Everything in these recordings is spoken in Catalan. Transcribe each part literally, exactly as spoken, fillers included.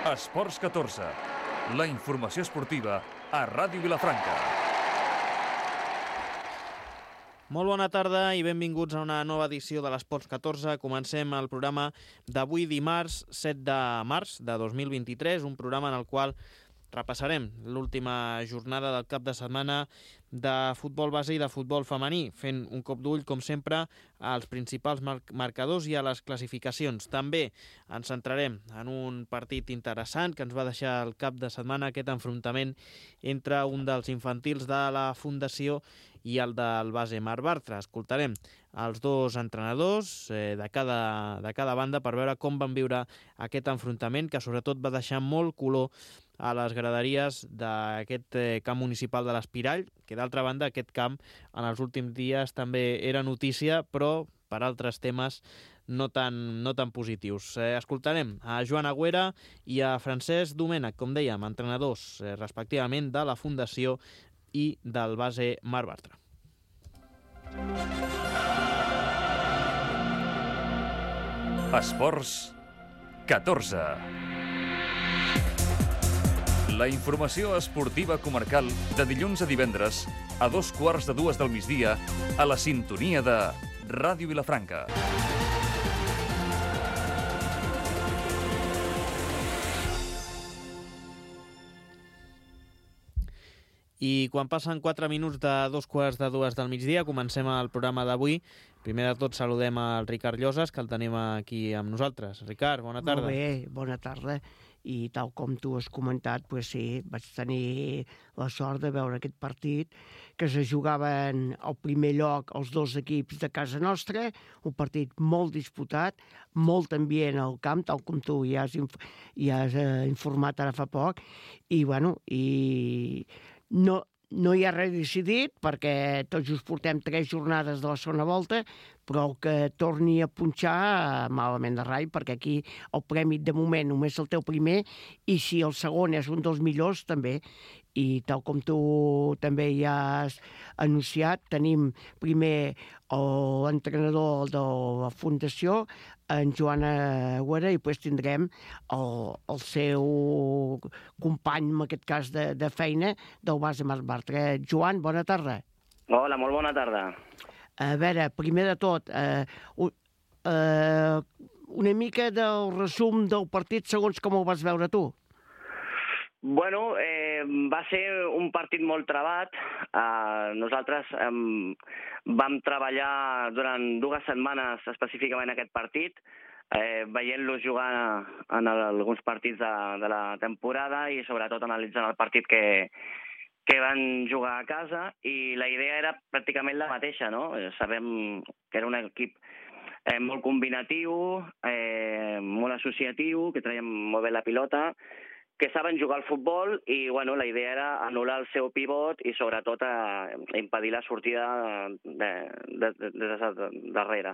Esports catorze, la informació esportiva a Ràdio Vilafranca. Molt bona tarda i benvinguts a una nova edició de l'Esports catorze. Comencem el programa d'avui dimarts set de març de dos mil vint-i-tres, un programa en el qual repassarem l'última jornada del cap de setmana de futbol base i de futbol femení, fent un cop d'ull, com sempre, als principals mar- marcadors i a les classificacions. També ens centrarem en un partit interessant que ens va deixar el cap de setmana, aquest enfrontament entre un dels infantils de la Fundació i el del base Marc Bartra. Escoltarem els dos entrenadors eh, de, cada, de cada banda per veure com van viure aquest enfrontament, que sobretot va deixar molt color a les graderies d'aquest eh, camp municipal de l'Espirall, que d'altra banda aquest camp en els últims dies també era notícia, però per altres temes no tan, no tan positius. Eh, escoltarem a Joan Agüera i a Francesc Domènech, com dèiem, entrenadors eh, respectivament de la Fundació i del base Marc Bartra. Esports catorze. La informació esportiva comarcal de dilluns a divendres a dos quarts de dues del migdia a la sintonia de Ràdio Vilafranca. I quan passen quatre minuts de dos quarts de dues del migdia, comencem el programa d'avui. Primer de tot saludem al Ricard Llosas, que el tenim aquí amb nosaltres. Ricard, bona tarda. Molt bé, bona tarda. I tal com tu has comentat, pues sí, vaig tenir la sort de veure aquest partit, que se jugaven al primer lloc els dos equips de casa nostra, un partit molt disputat, molt ambient al camp, tal com tu ja has, inf ja has eh, informat ara fa poc, i bueno, i no, no hi ha res decidit, perquè tot just portem tres jornades de la segona volta, però el que torni a punxar, malament de rai, perquè aquí el premi de moment només el teu primer, i si el segon és un dels millors, també. I tal com tu també ja has anunciat, tenim primer l'entrenador de la Fundació, en Joan Agüera, i després tindrem el, el seu company, en aquest cas de, de feina, del base Marc Bartra. Joan, bona tarda. Hola, molt bona tarda. A veure, primer de tot, eh, eh, una mica del resum del partit segons com ho vas veure tu. Bueno, eh, va ser un partit molt trebat. Uh, nosaltres eh, vam treballar durant dues setmanes específicament aquest partit, eh, veient-lo jugar en el, alguns partits de, de la temporada i sobretot analitzant el partit que, que van jugar a casa, i la idea era pràcticament la mateixa, no? Sabem que era un equip eh, molt combinatiu, eh, molt associatiu, que traiem molt bé la pilota, que saben jugar al futbol, i bueno, la idea era anul·lar el seu pivot i sobretot a impedir la sortida de, de, de, de, de darrere.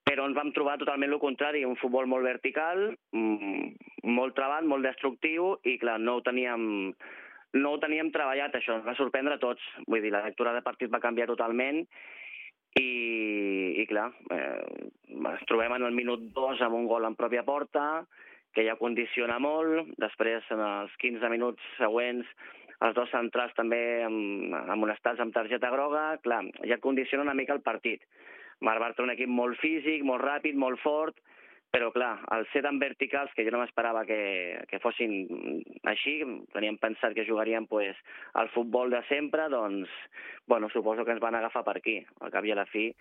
Però ens vam trobar totalment el contrari, un futbol molt vertical, molt trebat, molt destructiu, i clar, no ho teníem, no ho teníem treballat, això ens va sorprendre a tots. Vull dir, la lectura de partit va canviar totalment, i, i clar, eh, ens trobem en el minut dos amb un gol en pròpia porta, que ja condiciona molt. Després, en els quinze minuts següents, els dos centrals també amonestats amb targeta groga. Clar, ja condiciona una mica el partit. Marc Bartra, un equip molt físic, molt ràpid, molt fort, però clar, al ser tan verticals, que jo no m'esperava que, que fossin així, teníem pensat que jugarien pues, al futbol de sempre, doncs, bueno, suposo que ens van agafar per aquí, al cap i a la fi.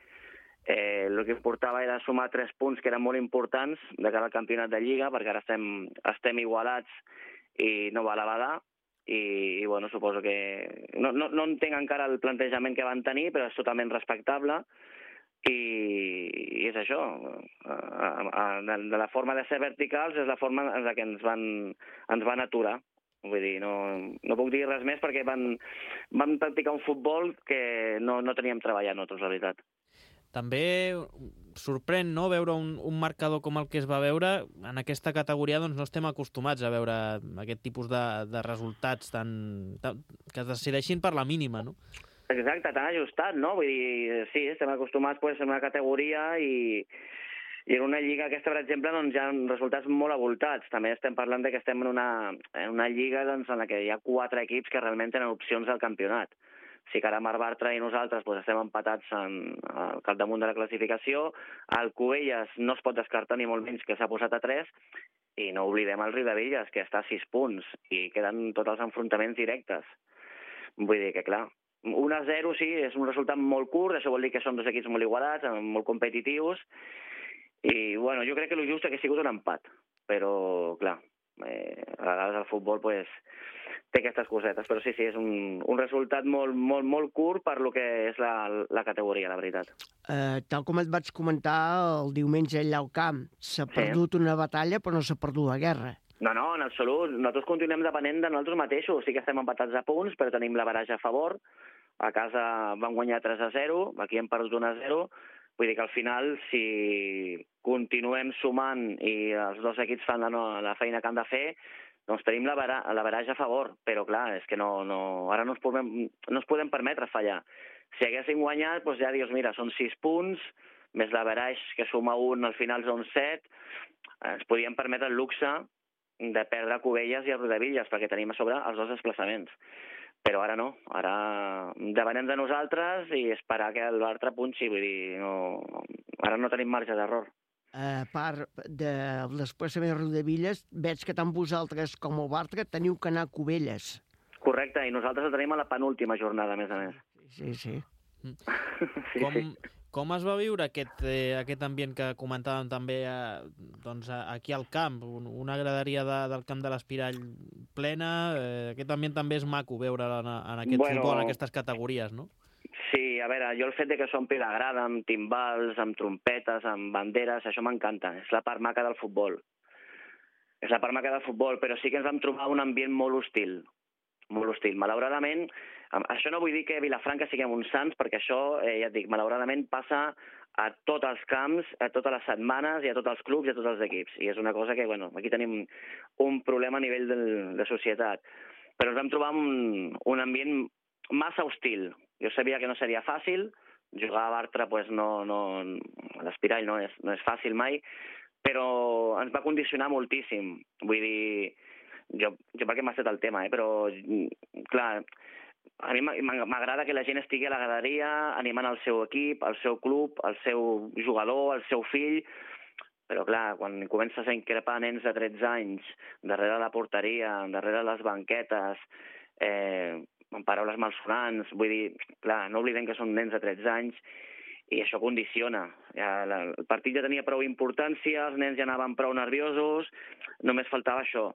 Eh, el que importava era sumar tres punts que eren molt importants de cara al campionat de Lliga, perquè ara estem, estem igualats i no val a badar, i, i bueno, suposo que no, no, no entenc encara el plantejament que van tenir, però és totalment respectable, i, i és això, de, de la forma de ser verticals és la forma en la que ens van, ens van aturar. Vull dir, no, no puc dir res més perquè van, van practicar un futbol que no, no teníem treballat nosaltres, la veritat. També sorprèn, no?, veure un, un marcador com el que es va veure. En aquesta categoria doncs, no estem acostumats a veure aquest tipus de, de resultats tan, tan, que es decideixin per la mínima, no? Exacte, tan ajustat, no? Vull dir, sí, estem acostumats pues, a una categoria i, I en una lliga aquesta, per exemple, doncs, hi ha resultats molt avoltats. També estem parlant de que estem en una, en una lliga doncs, en la que hi ha quatre equips que realment tenen opcions al campionat. Sí que ara Mar Bartra i nosaltres doncs, estem empatats en, al capdamunt de la classificació. El Cubelles no es pot descartar ni molt menys, que s'ha posat a tres, i no oblidem el Riudebitlles, que està a sis punts, i queden tots els enfrontaments directes. Vull dir que, clar, un a zero sí, és un resultat molt curt, això vol dir que són dos equips molt igualats, molt competitius, i bueno, jo crec que el just ha sigut un empat, però, clar, eh, a vegades el futbol pues, té aquestes cosetes, però sí, sí, és un, un resultat molt, molt, molt curt per lo que és la, la categoria, la veritat. Uh, tal com et vaig comentar el diumenge allà al camp, s'ha Sí. perdut una batalla però no s'ha perdut la guerra. No, no, en absolut. Nosaltres continuem depenent de nosaltres mateixos. Sí que estem empatats a punts, però tenim la baraja a favor. A casa vam guanyar tres a zero, aquí hem perdut un a zero. Vull dir que al final, si continuem sumant i els dos equips fan la, no, la feina que han de fer, doncs tenim la, bara, la baraja a favor. Però clar, és que no, no, ara no ens, podem, no ens podem permetre fallar. Si haguéssim guanyat, doncs ja dius, mira, són sis punts, més la baraja que suma un, al final són set, ens podíem permetre el luxe de perdre Cubelles i el Riudebitlles, perquè tenim a sobre els dos desplaçaments. Però ara no, ara depenem de nosaltres i esperar que l'altre punxi, vull dir, no, ara no tenim marge d'error. A part del desplaçament de Riudebitlles, veig que tant vosaltres com el Bartra teniu que anar a Cubelles. Correcte, i nosaltres el tenim a la penúltima jornada, a més a més. Sí, sí. Sí, Com, sí. com es va viure aquest, eh, aquest ambient que comentàvem també eh, doncs, aquí al camp? Un, una graderia de, del camp de l'Espirall plena. Eh, aquest ambient també és maco veure en, en aquest Bueno, futbol, en aquestes categories, no? Sí, a veure, jo el fet de que s'ompli la grada amb timbals, amb trompetes, amb banderes, això m'encanta. És la part maca del futbol. És la part maca del futbol, però sí que ens vam trobar un ambient molt hostil. Molt hostil. Malauradament, això no vull dir que a Vilafranca siguem uns sants, perquè això, eh, ja et dic, malauradament passa a tots els camps, a totes les setmanes, i a tots els clubs i a tots els equips. I és una cosa que, bueno, aquí tenim un problema a nivell de, de societat. Però ens vam trobar un, un ambient massa hostil. Jo sabia que no seria fàcil, jugar a Bartra, pues, no, no, a l'Espirall no és, no és fàcil mai, però ens va condicionar moltíssim. Vull dir, jo, jo perquè m'ha estat el tema, eh? Però, clar, a mi m'agrada que la gent estigui a la graderia animant el seu equip, el seu club, el seu jugador, el seu fill, però clar, quan comences a increpar nens de tretze anys darrere la porteria, darrere les banquetes, eh, amb paraules malsonants, vull dir, clar, no oblidem que són nens de tretze anys i això condiciona. Ja, la, el partit ja tenia prou importància, els nens ja anaven prou nerviosos, només faltava això.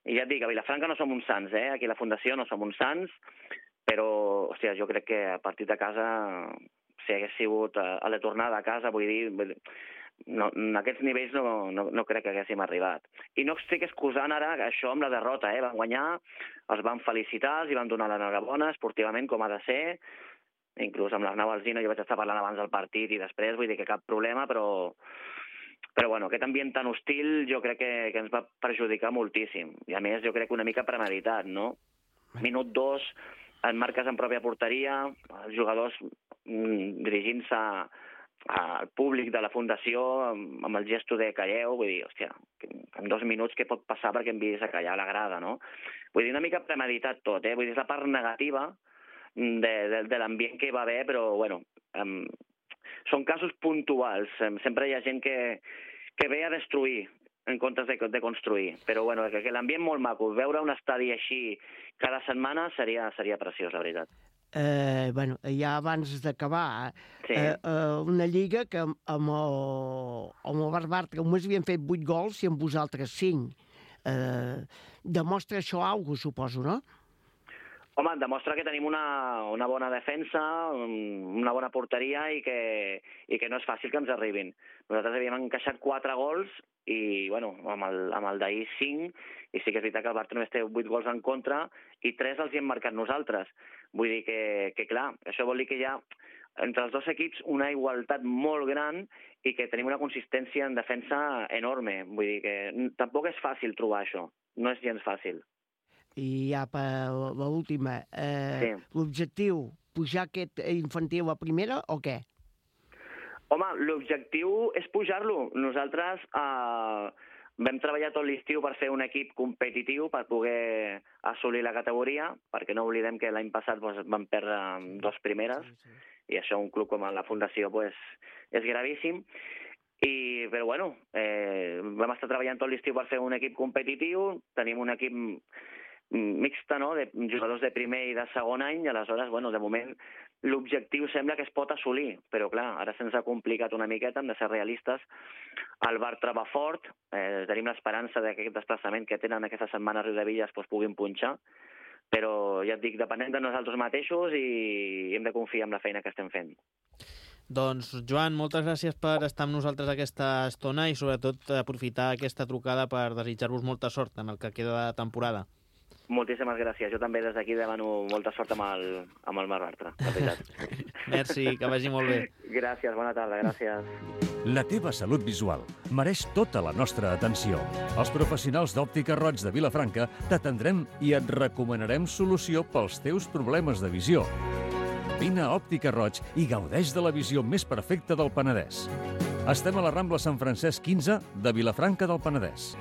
I ja et dic, a Vilafranca no som uns sants, eh? Aquí a la Fundació no som uns sants, però, hòstia, jo crec que a partir de casa, si hagués sigut a, a la tornada a casa, vull dir, no, en aquests nivells no, no, no crec que haguéssim arribat. I no estic excusant ara això amb la derrota, eh? Van guanyar, els van felicitar, els van donar l'enhorabona esportivament, com ha de ser, inclús amb l'Arnau Alsina, jo vaig estar parlant abans del partit i després, vull dir que cap problema, però... Però bueno, aquest ambient tan hostil jo crec que, que ens va perjudicar moltíssim. I a més jo crec que una mica premeditat, no? Minut dos, en marques en pròpia porteria, els jugadors mm, dirigint-se al públic de la Fundació amb, amb el gesto de calleu, vull dir, hòstia, en dos minuts què pot passar perquè em vist a callar a la grada, no? Vull dir, una mica premeditat tot, eh? Vull dir, és la part negativa de, de, de l'ambient que hi va haver, però bueno... Um, són casos puntuals. Sempre hi ha gent que, que ve a destruir en comptes de, de construir. Però bueno, que, que l'ambient molt maco. Veure un estadi així cada setmana seria, seria preciós, la veritat. Eh, bueno, ja abans d'acabar, Sí. eh, eh, una lliga que amb el, amb el Bartra només havien fet vuit gols i amb vosaltres cinc. Eh, demostra això alguna cosa, suposo, no? Home, demostra que tenim una, una bona defensa, una bona porteria i que, i que no és fàcil que ens arribin. Nosaltres havíem encaixat quatre gols i, bueno, amb el, amb el d'ahir cinc, i sí que és veritat que el Bartra només té vuit gols en contra i tres els hi hem marcat nosaltres. Vull dir que, que clar, això vol dir que hi ha entre els dos equips una igualtat molt gran i que tenim una consistència en defensa enorme. Vull dir que tampoc és fàcil trobar això, no és gens fàcil. I ja per l'última, eh, Sí. l'objectiu, pujar aquest infantil a primera o què? Home, l'objectiu és pujar-lo. Nosaltres eh, vam treballar tot l'estiu per fer un equip competitiu, per poder assolir la categoria, perquè no oblidem que l'any passat doncs, vam perdre dos primeres, sí, sí. I això un club com la Fundació pues, és gravíssim. I, però bueno, eh, vam estar treballant tot l'estiu per fer un equip competitiu, tenim un equip mixta, no?, de jugadors de primer i de segon any, i aleshores, bueno, de moment l'objectiu sembla que es pot assolir, però clar, ara se'ns ha complicat una miqueta, hem de ser realistes. El Bartra va fort, eh, tenim l'esperança que aquest desplaçament que tenen aquesta setmana a Riudebitlles pues, puguin punxar, però ja et dic, depenem de nosaltres mateixos i hem de confiar en la feina que estem fent. Doncs, Joan, moltes gràcies per estar amb nosaltres aquesta estona i sobretot aprofitar aquesta trucada per desitjar-vos molta sort en el que queda de temporada. Moltíssimes gràcies. Jo també des d'aquí demano molta sort amb el, amb el Marc Bartra, de veritat. Merci, que vagi molt bé. Gràcies, bona tarda, gràcies. La teva salut visual mereix tota la nostra atenció. Els professionals d'Òptica Roig de Vilafranca t'atendrem i et recomanarem solució pels teus problemes de visió. Vine a Òptica Roig i gaudeix de la visió més perfecta del Penedès. Estem a la Rambla Sant Francesc quinze de Vilafranca del Penedès.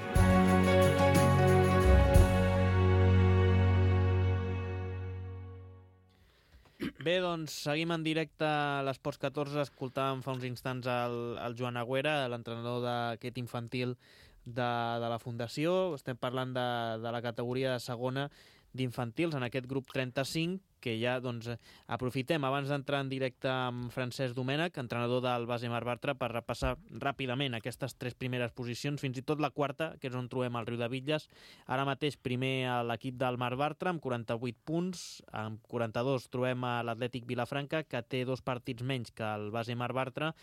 Bé, doncs seguim en directe a l'Esports catorze. Escoltàvem fa uns instants el, el Joan Agüera, l'entrenador d'aquest infantil de, de la Fundació. Estem parlant de, de la categoria de segona d'infantils en aquest grup trenta-cinc, que ja doncs, aprofitem abans d'entrar en directe amb Francesc Domènech, entrenador del base Marc Bartra, per repassar ràpidament aquestes tres primeres posicions, fins i tot la quarta, que és on trobem el Riudebitlles. Ara mateix primer a l'equip del Marc Bartra amb quaranta-vuit punts, amb quaranta-dos trobem a l'Atlètic Vilafranca, que té dos partits menys que el base Marc Bartra,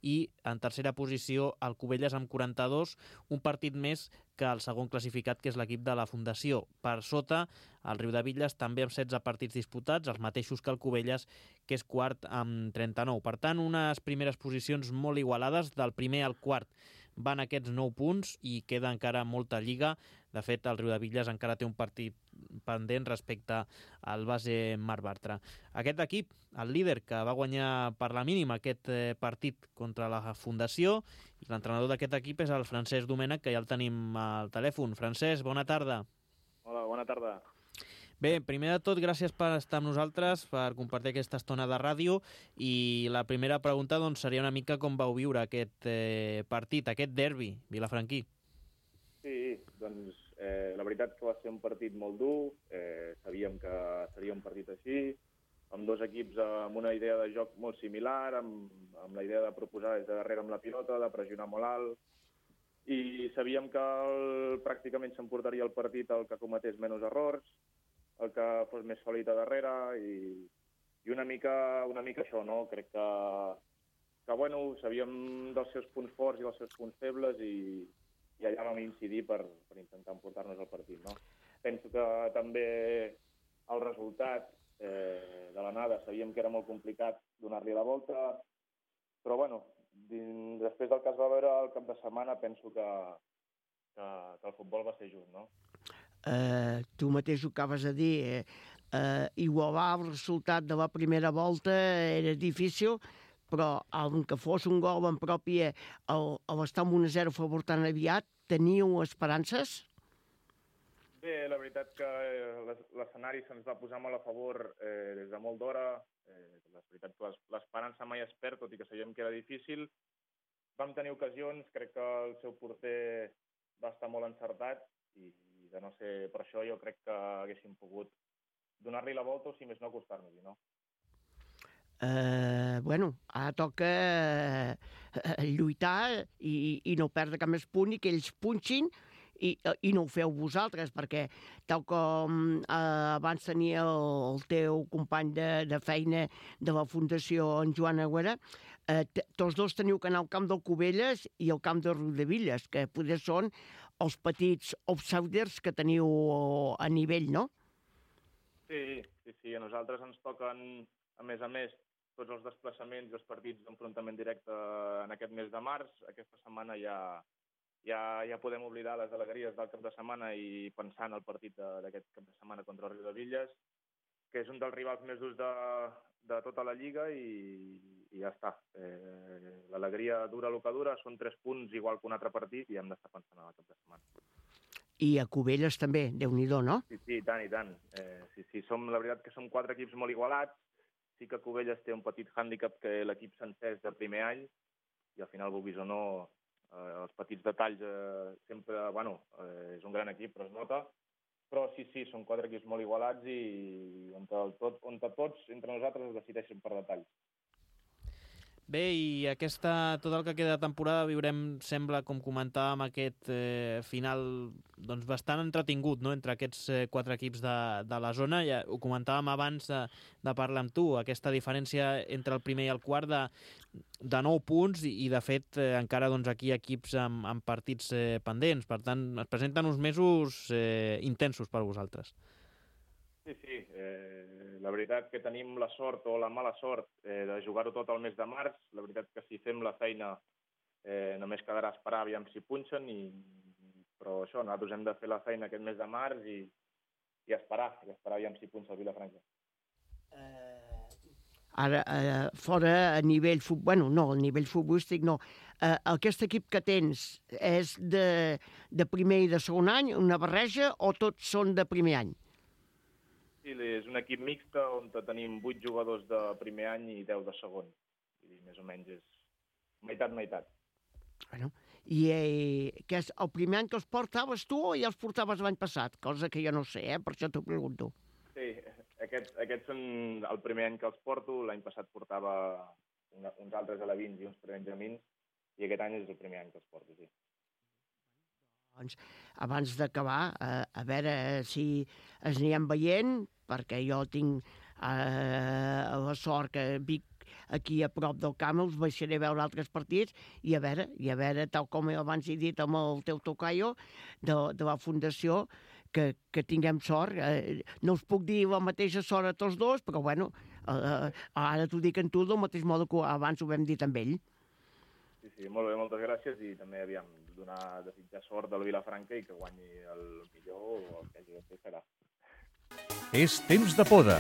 i en tercera posició el Cubelles amb quaranta-dos, un partit més que el segon classificat, que és l'equip de la Fundació. Per sota, el Riudebitlles també amb setze partits disputats, els mateixos que el Cubelles, que és quart amb trenta-nou. Per tant, unes primeres posicions molt igualades, del primer al quart van aquests nou punts i queda encara molta lliga. De fet, el Riudebitlles encara té un partit pendent respecte al base Marc Bartra. Aquest equip, el líder, que va guanyar per la mínima aquest partit contra la Fundació, i l'entrenador d'aquest equip és el Francesc Domènech, que ja el tenim al telèfon. Francesc, bona tarda. Hola, bona tarda. Bé, primer de tot, gràcies per estar amb nosaltres, per compartir aquesta estona de ràdio, i la primera pregunta doncs, seria una mica com vau viure aquest eh, partit, aquest derbi vilafranquí. Sí, doncs eh, la veritat que va ser un partit molt dur, eh, sabíem que seria un partit així, amb dos equips amb una idea de joc molt similar, amb, amb la idea de proposar des de darrere amb la pilota, de pressionar molt alt, i sabíem que el, pràcticament s'emportaria el partit el que cometés menys errors, el que fos més sòlid a darrere, i, i una mica una mica això, no? Crec que, que bueno, sabíem dels seus punts forts i dels seus punts febles, i, i allà vam incidir per, per intentar emportar-nos el partit, no? Penso que també el resultat eh, de l'anada sabíem que era molt complicat donar-li la volta, però bueno, dins, després del que es va veure el cap de setmana, penso que, que, que el futbol va ser just, no? Uh, tu mateix ho acabes de dir, eh? uh, igualar el resultat de la primera volta era difícil, però aunque fos un gol en pròpia, a l'estar amb un a zero a favor tan aviat, teníeu esperances? Bé, la veritat que l'escenari se'ns va posar molt a favor eh, des de molt d'hora. Eh, la veritat que l'esperança mai es perd, tot i que sabíem que era difícil. Vam tenir ocasions, crec que el seu porter va estar molt encertat, i de no ser per això jo crec que haguéssim pogut donar-li la volta o, si més no, acostar-nos-hi, no? Uh, bueno, ara toca uh, lluitar i, i no perdre cap més punt, i que ells punxin, i, i no ho feu vosaltres, perquè tal com uh, abans tenia el, el teu company de, de feina de la Fundació, en Joan Agüera, uh, tots dos teniu que anar al camp del Cubelles i al camp de Riudebitlles, que potser són els petits outsiders que teniu a nivell, no? Sí, sí, sí. A nosaltres ens toquen, a més a més, tots els desplaçaments i els partits d'enfrontament directe en aquest mes de març. Aquesta setmana ja, ja, ja podem oblidar les alegries del cap de setmana i pensar en el partit d'aquest cap de setmana contra el Riudebitlles, que és un dels rivals més durs de, de tota la Lliga i, i ja està. Eh, L'alegria dura el que dura, són tres punts igual que un altre partit i hem d'estar pensant en el cap de setmana. I a Cubelles també, Déu-n'hi-do, no? Sí, sí, i tant, i tant. Eh, sí, sí, som, la veritat que som quatre equips molt igualats. Sí que Cubelles té un petit hàndicap que l'equip sencer és de primer any i al final, vulguis o no, eh, els petits detalls eh, sempre, bueno, eh, és un gran equip, però es nota. Però sí, sí, són quatre equips molt igualats i on, tot, on tots, entre nosaltres, es decideixen per detalls. Bé, i aquesta, tot el que queda de temporada viurem, sembla, com comentàvem, aquest eh, final doncs, bastant entretingut, no?, entre aquests eh, quatre equips de, de la zona. Ja ho comentàvem abans de, de parlar amb tu, aquesta diferència entre el primer i el quart de, de nou punts i, i de fet, eh, encara doncs, aquí equips amb, amb partits eh, pendents. Per tant, es presenten uns mesos eh, intensos per vosaltres. Sí, sí. Eh, la veritat que tenim la sort o la mala sort eh, de jugar-ho tot al mes de març. La veritat que si fem la feina eh, només quedarà esperar aviam si punxen, i... però això, nosaltres hem de fer la feina aquest mes de març i, i esperar, i esperar aviam si punxa el Vilafranca. Eh, ara, eh, fora a nivell futbolístic, bueno, no, a nivell futbolístic no. Eh, aquest equip que tens és de, de primer i de segon any, una barreja, o tots són de primer any? Sí, és un equip mixte on tenim vuit jugadors de primer any i deu de segon. I més o menys és meitat-meitat. Bueno, i eh, que és el primer any que els portaves tu o ja els portaves l'any passat? Cosa que jo no sé, eh? Per això t'ho pregunto. Sí, aquests, aquests són el primer any que els porto. L'any passat portava una, uns altres alevins i uns prebenjamins i aquest any és el primer any que els porto, sí. Doncs, abans d'acabar, eh, a veure si es anirem veient, perquè jo tinc eh, la sort que vic aquí a prop del camp, els baixaré a veure altres partits i a veure, i a veure tal com abans he dit amb el teu tocayo de, de la Fundació, que, que tinguem sort. Eh, no us puc dir la mateixa sort a tots dos, però bueno, eh, ara t'ho dic en tu del mateix modo que abans ho vam dir amb ell. Sí, sí, molt bé, moltes gràcies i també aviam donar desitjar sort del Vilafranca i que guanyi el millor o el que hagi de fer serà. És temps de poda.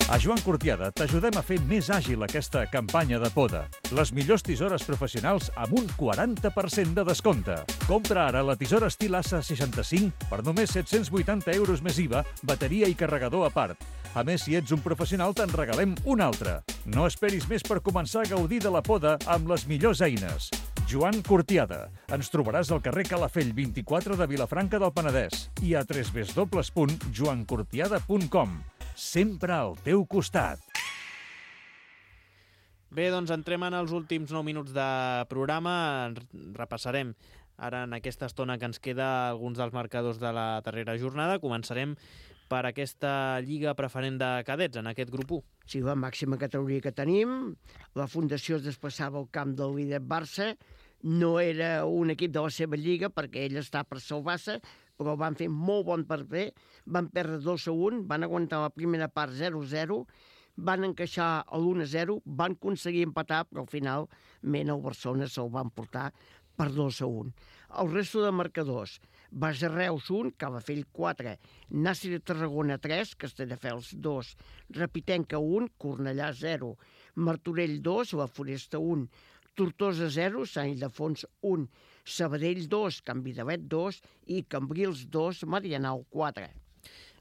A Joan Cortiada t'ajudem a fer més àgil aquesta campanya de poda. Les millors tisores professionals amb un quaranta per cent de descompte. Compra ara la tisora estil A S A seixanta-cinc per només set-cents vuitanta euros més I V A, bateria i carregador a part. A més, si ets un professional, te'n regalem una altra. No esperis més per començar a gaudir de la poda amb les millors eines. Joan Cortiada. Ens trobaràs al carrer Calafell vint-i-quatre de Vilafranca del Penedès i a w w w punt joan cortiada punt com. Sempre al teu costat. Bé, doncs entrem en els últims nou minuts de programa. Repassarem ara en aquesta estona que ens queda alguns dels marcadors de la darrera jornada. Començarem per aquesta Lliga Preferent de Cadets, en aquest grup u. Sí, la màxima categoria que tenim. La Fundació es desplaçava al camp del líder Barça. No era un equip de la seva lliga perquè ell està per salvar-se, però van fer molt bon paper. Van perdre dos a un, van aguantar la primera part zero a zero, van encaixar l'u a zero, van aconseguir empatar, però al final Mena o Barcelona se'l van portar per dos a un. El resto de marcadors: Base Reus un, Calafell quatre, Nàstic de Tarragona tres, Castelldefels dos, Repitenca un, Cornellà zero, Martorell dos, La Foresta un, Tortosa zero, Sant Ildefons un, Sabadell dos, Can Vidalet dos i Cambrils dos, Marianao quatre.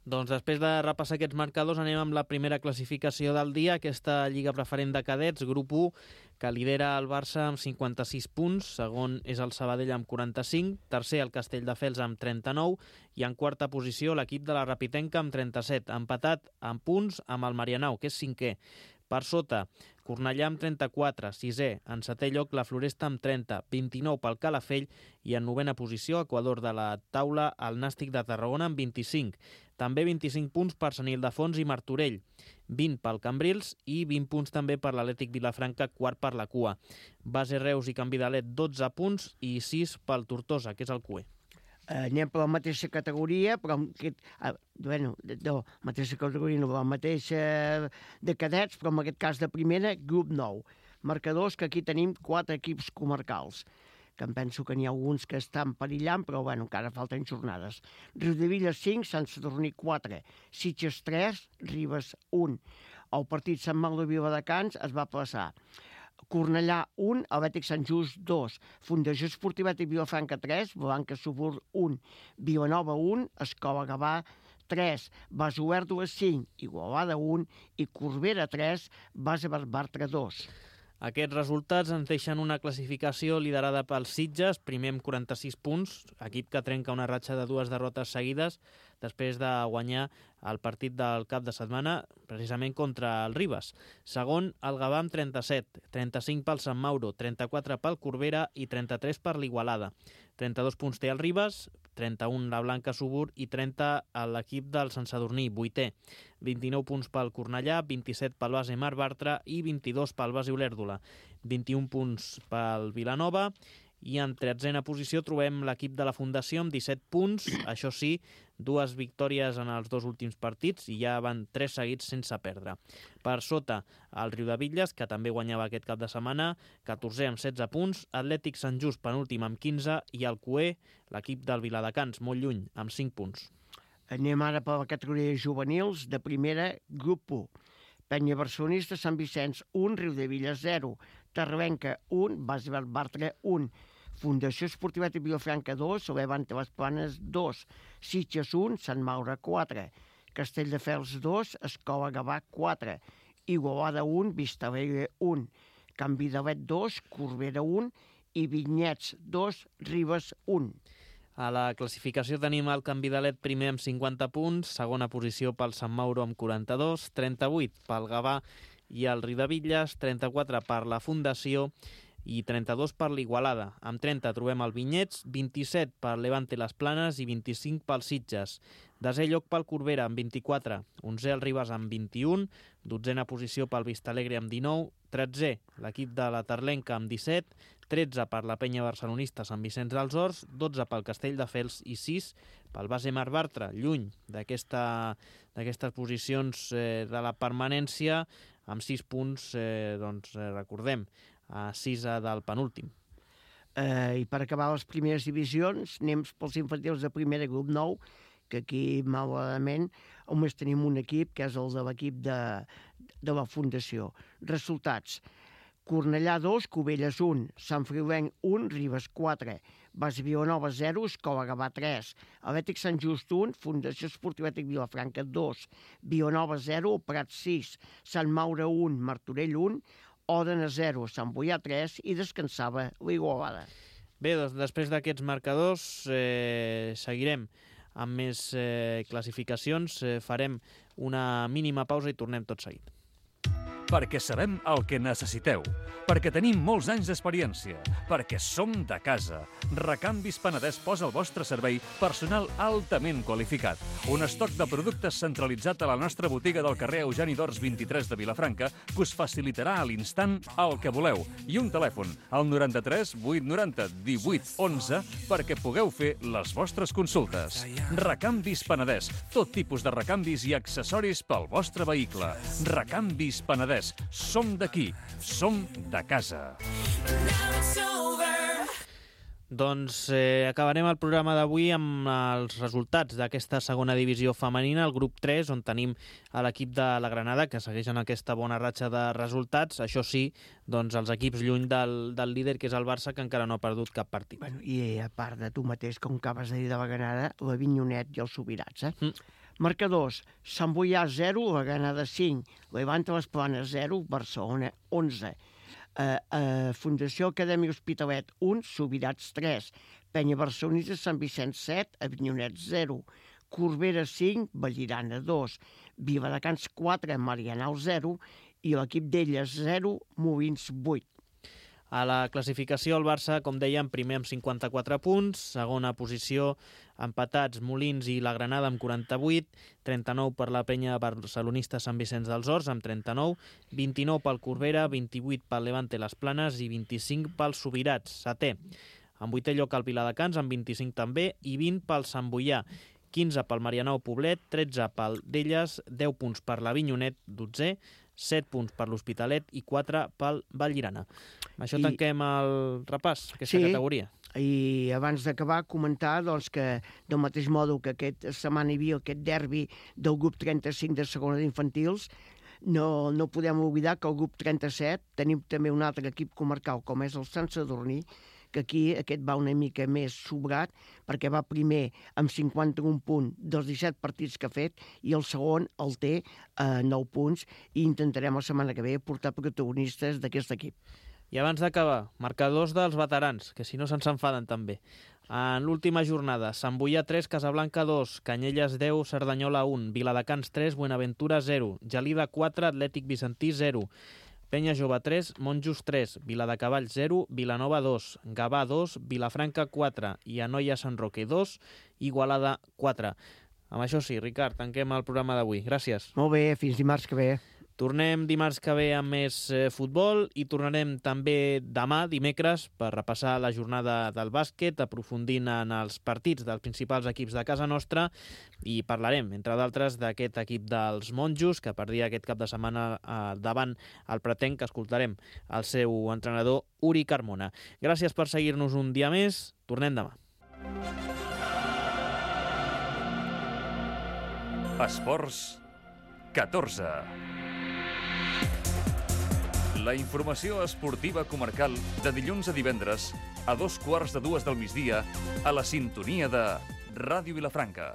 Doncs després de repassar aquests marcadors anem amb la primera classificació del dia, aquesta Lliga Preferent de Cadets, grup u, que lidera el Barça amb cinquanta-sis punts, segon és el Sabadell amb quaranta-cinc, tercer el Castelldefels amb trenta-nou i en quarta posició l'equip de la Repitenca amb trenta-set, empatat en punts amb el Marianao, que és cinquè. Per sota, Cornellà amb trenta-quatre, sisè, en setè lloc la Floresta amb trenta, vint-i-nou pel Calafell i en novena posició, Equador de la taula, el Nàstic de Tarragona amb vint-i-cinc. També vint-i-cinc punts per Sant Ildefons i Martorell, vint pel Cambrils i vint punts també per l'Atlètic Vilafranca, quart per la cua. Base Reus i Can Vidalet, dotze punts i sis pel Tortosa, que és el cuer. Eh, anem per la mateixa categoria, però aquest, eh, bueno, no, mateixa categoria no, la mateixa de cadets, però en aquest cas de primera, grup nou. Marcadors que aquí tenim quatre equips comarcals, que em penso que n'hi ha alguns que estan perillant, però bueno, encara falten jornades. Riudebitlles cinc, Sant Sadurní quatre, Sitges tres, Ribes un. El partit Sant Mau de Viladecans es va plaçar Cornellà un, Atlètic Sant Just dos, Fundació Esportiva Atlètic Vilafranca tres, Blanca Subur un, Vilanova un, Escola Gavà tres, Base Olèrdola cinc, Igualada un i Corbera tres, Base Bartra dos. Aquests resultats ens deixen una classificació liderada pels Sitges, primer amb quaranta-sis punts, equip que trenca una ratxa de dues derrotes seguides després de guanyar el partit del cap de setmana, precisament contra el Ribes. Segon, el Gavà amb trenta-set, trenta-cinc pel Sant Mauro, trenta-quatre pel Corbera i trenta-tres per l'Igualada. trenta-dos punts té el Ribes, trenta-un la Blanca Subur i trenta a l'equip del Sant Sadurní, vuitè. vint-i-nou punts pel Cornellà, vint-i-set pel Base Mar Bartra i vint-i-dos pel Base Olèrdola. vint-i-un punts pel Vilanova i en tretzena posició trobem l'equip de la Fundació amb disset punts, això sí, dues victòries en els dos últims partits i ja van tres seguits sense perdre. Per sota, el Riudebitlles, que també guanyava aquest cap de setmana, catorzè amb setze punts, Atlètic Sant Just penúltim amb quinze i el Cué, l'equip del Viladecans, molt lluny, amb cinc punts. Anem ara per la categoria juvenils de primera, grup u. Penya Barcelonista, Sant Vicenç un, Riudebitlles zero, Tarrabenca un, Base Bartra un, Fundació Esportiva de Vilafranca dos, Levante les Planes dos, Sitges un, Sant Maura quatre, Castelldefels dos, Escola Gavà quatre, Igualada un, Vistalegre un, Can Vidalet dos, Corbera un i Vinyets dos, Ribes un. A la classificació tenim el Can Vidalet primer amb cinquanta punts, segona posició pel Sant Mauro amb quaranta-dos, trenta-vuit pel Gavà i el Riudebitlles, trenta-quatre per la Fundació i trenta-dos per l'Igualada. Amb trenta trobem el Vinyets, vint-i-set per Levante les Planes i vint-i-cinc pel Sitges. Desè lloc pel Corbera amb vint-i-quatre, onzè el Ribes amb vint-i-un, dotzena posició pel Vistalegre amb dinou, tretzè l'equip de la Tarlenca amb disset, tretze per la Penya Barcelonista Sant Vicenç dels Horts, dotze pel Castelldefels i sis pel Base Mar Bartra, lluny d'aquesta, d'aquestes posicions eh, de la permanència, amb sis punts, eh, doncs eh, recordem, a sis del penúltim. Eh, I per acabar les primeres divisions, anem pels infantils de primera, grup nou, que aquí, malauradament, només tenim un equip, que és el de l'equip de, de la Fundació. Resultats: Cornellà dos, Cubelles un, Sant Friulenc un, Ribes quatre, Base Vilanova zero, Escola Gavà tres, Atlètic Sant Just un, Fundació Esportiva Atlètic Vilafranca dos, Vilanova zero, Prat sis, Sant Maura un, Martorell un, Òdena zero, Sant Boià tres i descansava l'Igualada. Bé, doncs després d'aquests marcadors eh, seguirem amb més eh, classificacions, eh, farem una mínima pausa i tornem tot seguit. Perquè sabem el que necessiteu, perquè tenim molts anys d'experiència, perquè som de casa. Recanvis Penedès posa al vostre servei personal altament qualificat. Un estoc de productes centralitzat a la nostra botiga del carrer Eugeni d'Ors vint-i-tres de Vilafranca que us facilitarà a l'instant el que voleu. I un telèfon, al noranta-tres vuit noranta divuit onze, perquè pugueu fer les vostres consultes. Recanvis Penedès, tot tipus de recanvis i accessoris pel vostre vehicle. Recanvis Penedès. Som d'aquí, som de casa. Doncs eh, acabarem el programa d'avui amb els resultats d'aquesta segona divisió femenina, el grup tres, on tenim a l'equip de la Granada, que segueix en aquesta bona ratxa de resultats. Això sí, doncs els equips lluny del, del líder, que és el Barça, que encara no ha perdut cap partit. Bueno, i a part de tu mateix, com acabes de dir de la Granada, la Vinyonet i els Subirats, eh? Mm. Marcadors: Sant Boià zero, la Granada cinc, Levante les Planes zero, Barcelona onze, eh, eh, Fundació Acadèmia Hospitalet un, Subirats tres, Penya Barcelonista Sant Vicenç set, Avinyonet zero, Corbera cinc, Vallirana dos, Viladecans quatre, Marianao zero i l'equip d'elles zero, Molins vuit. A la classificació, el Barça, com dèiem, primer amb cinquanta-quatre punts, segona posició, empatats Molins i la Granada amb quaranta-vuit, trenta-nou per la Penya Barcelonista Sant Vicenç dels Horts amb trenta-nou, vint-i-nou pel Corbera, vint-i-vuit pel Levante les Planes i vint-i-cinc pels Subirats, setè. En vuitè lloc el Viladecans amb vint-i-cinc també i vint pel Sant Boià, quinze pel Marianao Poblet, tretze pel d'Elles, deu punts per la Vinyonet, dotzè, set punts per l'Hospitalet i quatre pel Vallirana. Amb això I... tanquem el repàs, aquesta sí, categoria. I abans d'acabar, comentar doncs, que del mateix modo que aquesta setmana hi havia aquest derbi del grup trenta-cinc de segona d'infantils, no, no podem oblidar que al grup trenta-set tenim també un altre equip comarcal, com és el Sant Sadurní, que aquí aquest va una mica més sobrat, perquè va primer amb cinquanta-un punts dels disset partits que ha fet, i el segon el té a nou punts, i intentarem la setmana que ve portar protagonistes d'aquest equip. I abans d'acabar, marcadors dels veterans, que si no se'ns enfaden també. En l'última jornada, Sant Boià tres, Casablanca dos, Canyelles deu, Cerdanyola un, Viladecans tres, Buenaventura zero, Gelida quatre, Atlètic Vicentí zero, Penya Jove tres, Monjos tres, Viladecavalls zero, Vilanova dos, Gavà dos, Vilafranca quatre i Anoia Sant Roque dos, Igualada quatre. Amb això sí, Ricard, tanquem el programa d'avui. Gràcies. Molt bé, fins dimarts que ve. Tornem dimarts que ve amb més eh, futbol i tornarem també demà, dimecres, per repassar la jornada del bàsquet, aprofundint en els partits dels principals equips de casa nostra, i parlarem, entre d'altres, d'aquest equip dels Monjos, que perdia aquest cap de setmana eh, davant el Pretenc, que escoltarem el seu entrenador Uri Carmona. Gràcies per seguir-nos un dia més. Tornem demà. Esports catorze. La informació esportiva comarcal de dilluns a divendres a dos quarts de dues del migdia a la sintonia de Ràdio Vilafranca.